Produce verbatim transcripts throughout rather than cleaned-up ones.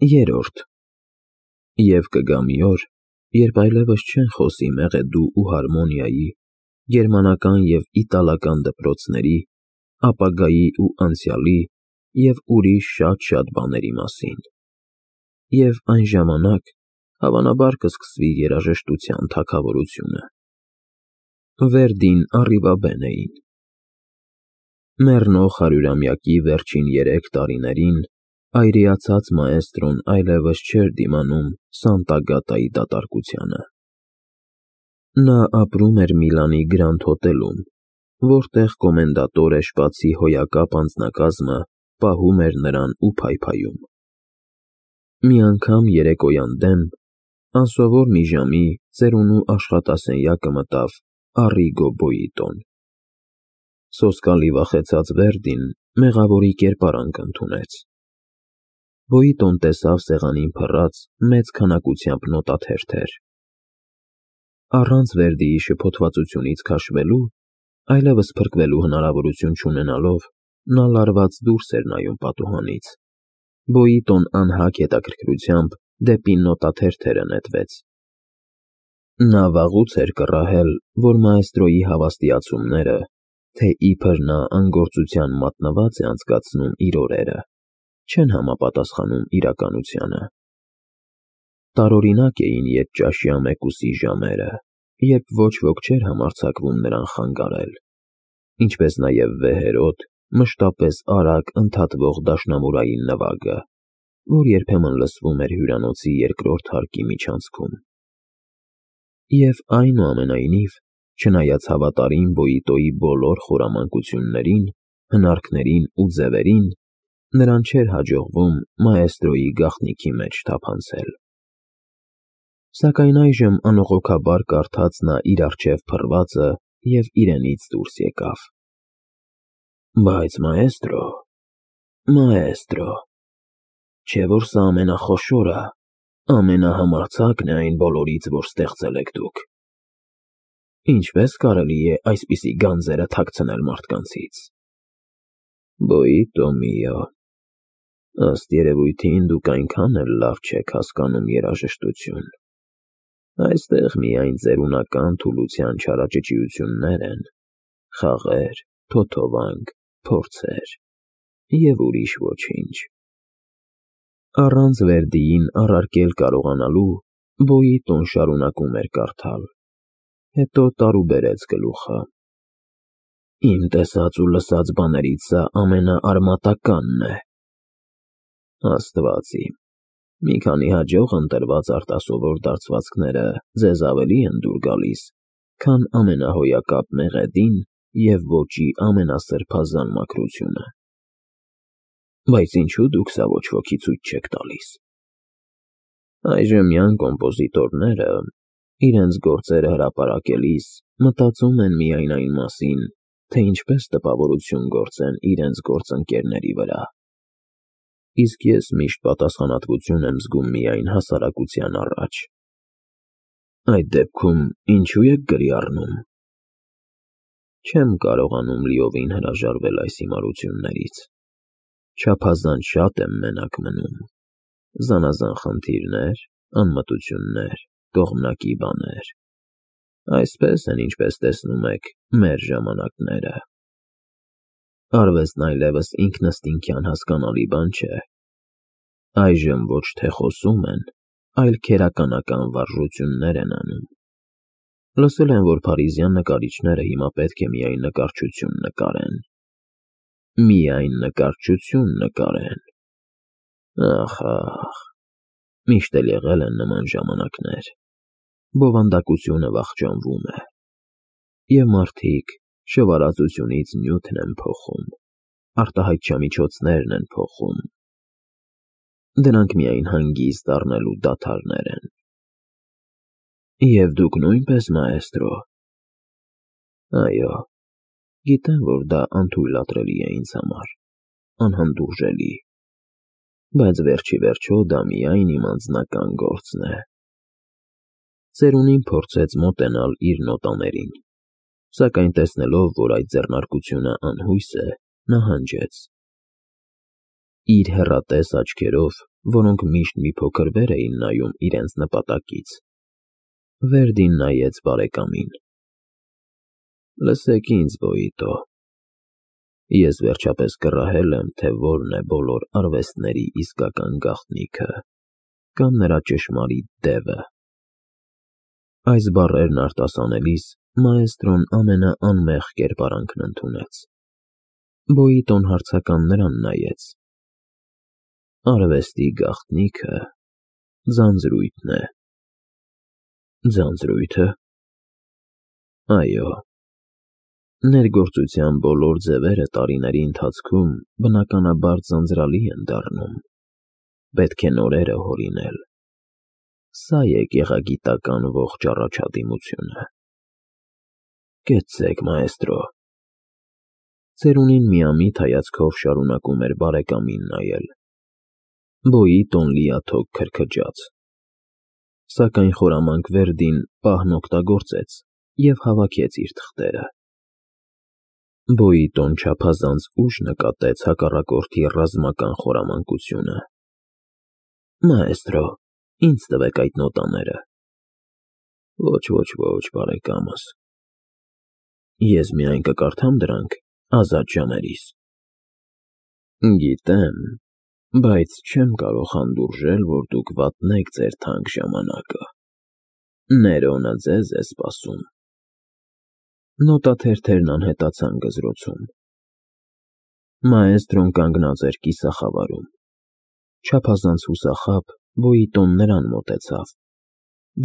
Երորդ Եվ կգա մի օր, երբ այլևս չեն խոսի մեղեդու ու հարմոնիայի, գերմանական և իտալական դպրոցների, ապագայի ու անցյալի և ուրիշ շատ-շատ բաների մասին, և այն ժամանակ, հավանաբար, կսկսվի երաժշտության թագավորությունը։ Վերդին Առիվաբեն էին։ Մեռնող հարյուրամյակի վերջին երեք տարիներին այրիացած մաէստրոն այլևս չէր դիմանում Սանտա֊Գատայի դատարկությանը։ Նա ապրում էր Միլանի Գրանդ հոթելում, որտեղ կոմենդատոր էշպացի հոյակապ անձնակազմը պահում էր նրան ու փայփայում։ Մի անգամ երեկոյան դեմ, անսովոր մի ժամի ծերունու աշխատասենյակը մտավ Առիգո Բոյիտոն։ Սոսկալի վախեցած Վերդին մեղավորի կերպարանք ընդունեց։ Բոյիտոն տեսավ սեղանին փռած մեծ քանակությամբ նոտաթերթեր։ Առանց Վերդիի շփոթվածությունից քաշվելու, այլևս փրկվելու հնարավորություն չունենալով, նա լարված դուրս էր նայում պատուհանից։ Բոյիտոն անհագ հետաքրքրությամբ դեպի նոտաթերթերը նետվեց։ Նա վաղուց էր կռահել, որ մաէստրոյի հավաստիացումները, թե իբր նա անգործության մատնված է անցկացնում իր օրերը, չեն համապատասխանում իրականությանը։ Տարօրինակ էին ետճաշյա մեկուսի ժամերը, երբ ոչ ոք չէր համարձակվում նրան խանգարել, ինչպես նաև վեհերոտ, մշտապես արագ ընդհատվող դաշնամուրային նվագը, որ երբեմն լսվում էր հյուրանոցի երկրորդ հարկի միջանցքում։ Եվ այնուամենայնիվ, չնայած հավատարիմ Բոյիտոյի բոլոր խորամանկություններին, հնարքներին ու ձևերին, նրան չէր հաջողվում մաէստրոյի գաղտնիքի մեջ թափանցել։ Սակայն այժմ անողոքաբար կարդաց նա իր առջև փռվածը և իրենից դուրս եկավ։ Բայց մաէստրո, մաէստրո, չէ՞ որ սա ամենախոշորը, ամենահամարձակն է այն բոլորից, որ ստեղծել եք դուք։ Ինչպե՞ս կարելի է այսպիսի գանձերը թաքցնել մարդկանցից։ Բոյիտո միո, ըստ երևույթին դուք այնքան էլ լավ չեք հասկանում երաժշտություն։ Այստեղ միայն ծերունական թուլության չարաճճիություններ են, խաղեր, թոթովանք, փորձեր և ուրիշ ոչինչ։ Առանց Վերդիին առարկել կարողանալու, Բոյիտոն շարունակում էր կարդալ, հետո տարուբերեց գլուխը։ Իմ տեսած ու լսած բաներից սա ամենաարմատականն է։ Աստված իմ, մի քանի հաջող ընտրված արտասովոր դարձվածքները ձեզ ավելի են դուր գալիս, քան ամենահոյակապ մեղեդին և ոճի ամենասրբազան մաքրությունը։ Բայց ինչու դուք սա ոչ ոքի ցույց չեք տալիս։ Այժմյան կոմպոզիտորները, իրենց գործերը հրապարակելիս, մտածում են միայն այն մասին, թե ինչպես տպավորություն գործեն իրենց գործընկերների վրա։ Իսկ ես միշտ պատասխանատվություն եմ զգում միայն հասարակության առաջ։ Այդ դեպքում ինչու եք գրի առնում։ Չեմ կարողանում լիովին հրաժարվել այս հիմարություններից։ Չափազանց շատ եմ մենակ մնում։ Զանազան խնդիրներ, անմտություններ, կողմնակի բաներ։ Այսպես են, ինչպես տեսնում եք, մեր ժամանակները։ Արվեստն այլևս ինքնըստինքյան հասկանալի բան չէ։ Այժմ ոչ թե խոսում են, այլ քերականական վարժություններ են անում։ Լսել եմ, որ փարիզյան նկարիչները հիմա պետք է միայն նկարչություն նկարեն։ Միայն նկարչություն նկարեն։ Ախ, ախ, միշտ էլ եղել են նման ժամանակներ։ Բովանդակությունը վախճանվում է։ Եվ մարդիկ շվարածությունից նյութն են փոխում, արտահայտչամիջոցներն են փոխում։ Դրանք միայն հանգիստ առնելու դադարներ են։ Եվ դուք նույնպես, մաէստրո։ Այո, գիտեմ, որ դա անթույլատրելի է ինձ համար, անհանդուրժելի, բայց վերջիվերջո դա միայն իմ անձնական գործն է։ Ծերունին փորձեց մոտենալ իր նոտաներին, սակայն տեսնելով, որ այդ ձեռնարկությունը անհույս է, նահանջեց։ Իր հեռատես աչքերով որոնք միշտ մի փոքր վեր էին նայում իրենց նպատակից։ Վերդին նայեց բարեկամին։ Լսեք ինձ, Բոյիտո, ես վերջապես կռահել եմ, թե որն է բոլոր արվեստների իսկական գաղտնիքը կամ նրա ճշմարիտ դևը։ Այս բառերն արտասանելիս մաեստրոն ամենաանմեղ կերպարանքն ընդունեց։ Բոյիտոն հարցական նրան նայեց։ Արվեստի գաղտնիքը ձանձրույթն է։ Ձանձրույթը։ Այո։ Ներգործության բոլոր ձևերը տարիների ընթացքում բնականաբար ձանձրալի են դառնում։ Պետք է նորերը հորինել։ Սա է գեղագիտական ողջ առաջադիմությունը։ Կեցցեք, մաեստրո։ Ծերունին միամիտ հայացքով շարունակում էր բարեկամին նայել։ Բոյիտոն լիաթոք քրքջաց։ Սակայն խորամանկ Վերդին պահն օգտագործեց և հավաքեց իր թղթերը։ Բոյիտոն չափազանց ուշ նկատեց հակառակորդի ռազմական խորամանկությունը։ Մաեստրո, ինձ տվեք այդ նոտաները։ Ոչ, ոչ, ոչ, բարեկամս։ Ես միայն կկարդամ դրանք ազատ ժամերիս։ Գիտեմ, բայց չեմ կարող հանդուրժել, որ դուք վատնեք ձեր թանկ ժամանակը։ Ներոնը ձեզ է սպասում։ Նոտաթերթերն անհետացան գզրոցում։ Մաեստրոն կանգնած էր կիսախավարում։ Չափազանց հուսախաբ Բոյիտոն նրան մոտեցավ,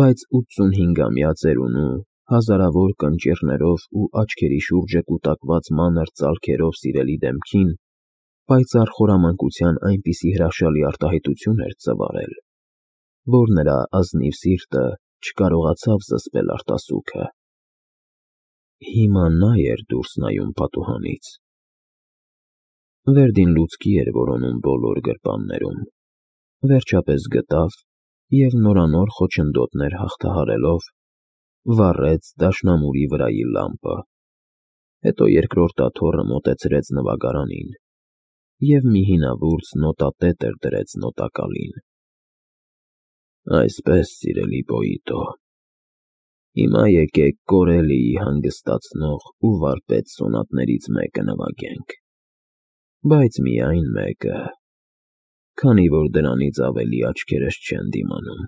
բայց ութսունհինգամյա ծերունու հազարավոր կնճիռներով ու աչքերի շուրջը կուտակված մանր ծալքերով սիրելի դեմքին պայծառ խորամանկության այնպիսի հրաշալի արտահայտություն էր ծվարել, որ նրա ազնիվ սիրտը չկարողացավ զսպել արտասուքը։ Հիմա նա էր դուրս նայում պատուհանից։ Վերդին լուցկի էր որոնում բոլոր գրպաններում։ Վերջապես գտավ և նորանոր խոչընդոտներ հաղթահարելով վառեց դաշնամուրի վրայի լամպը, հետո երկրորդ աթոռը մոտեցրեց նվագարանին և մի հինավուրց նոտատետր դրեց նոտակալին։ Այսպես, սիրելի Բոյիտո, հիմա եկեք Կորելիի հանգստացնող ու վարպետ սոնատներից մեկը նվագենք, բայց միայն մեկը, քանի որ դրանից ավելի աչքերս չեն դիմանում։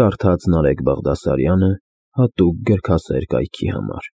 Կարդաց Նարեկ Բաղդասարյանը հատուկ գրքասեր կայքի համար։